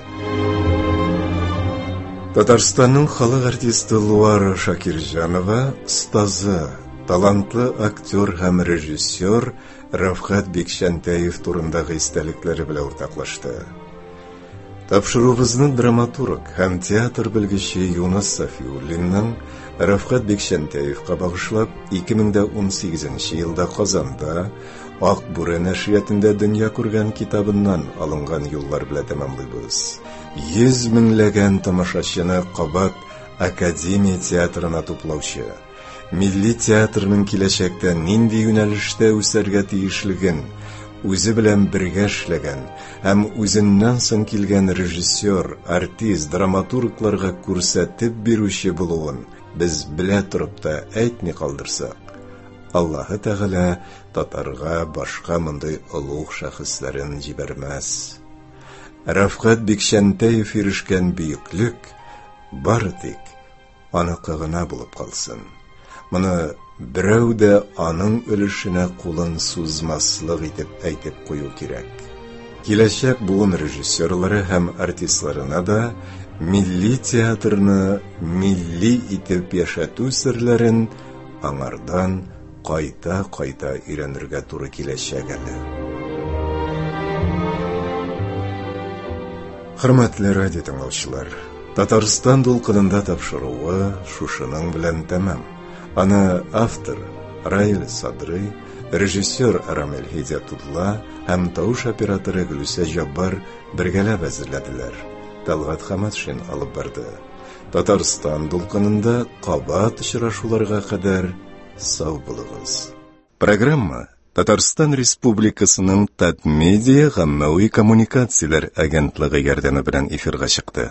Татарстанның халык артисты Луара Шакирҗанова остазы, талантлы актер һәм режиссер Рәфкать Бикчәнтәев турындагы истәлекләре белән уртаклашты. Тапшыруыбызны драматург һәм театр белгече Юныс Сафиуллинның Рәфкать Бикчәнтәевка багышлап ике мең дә унсигезенче елда Казанда Ак Бүре нәшриятында дөнья күргән китабыннан алынган юллар белән тәмамлыйбыз. Йөз меңләгән тамашачыны кабат Академия театрына туплаучы, милли театрның киләчәктә нинди юнәлештә үсәргә тиешлеген үзе белән бергә эшләгән һәм үзеннән соң килгән режиссер, артист, драматургларга күрсәтеп бирүче булуын без белә торып та әйтми калдырсак, Аллаһы Тәгалә татарга башка мондый олуг шәхесләрен җибәрмәс. Рәфкать Бикчәнтәев ирешкән бөеклек бары тик аныкы гына булып калсын. Моны берәү дә аның өлешенә кулын сузмаслык итеп әйтеп кую кирәк. Киләчәк буын режиссерлары һәм артистларына да милли театрны милли итеп яшәтү серләрен аңардан кайта-кайта өйрәнергә туры киләчәк әле. Хөрмәтле радио тыңлаучылар, Татарстан дулкынында тапшыруы шушының белән тәмам. Аны автор Раил Садрый, режиссер Рамил Һидиятулла һәм тавыш операторы Гөлүсә Җаббар бергәләп әзерләделәр. Талгат Хаматшин алып барды. Татарстан дулкынында кабат очрашуларга кадәр сау булыгыз. Программа Татарстан Республикасының Татмедиа гаммәви коммуникацияләр агентлыгы ярдәме белән эфирга чыкты.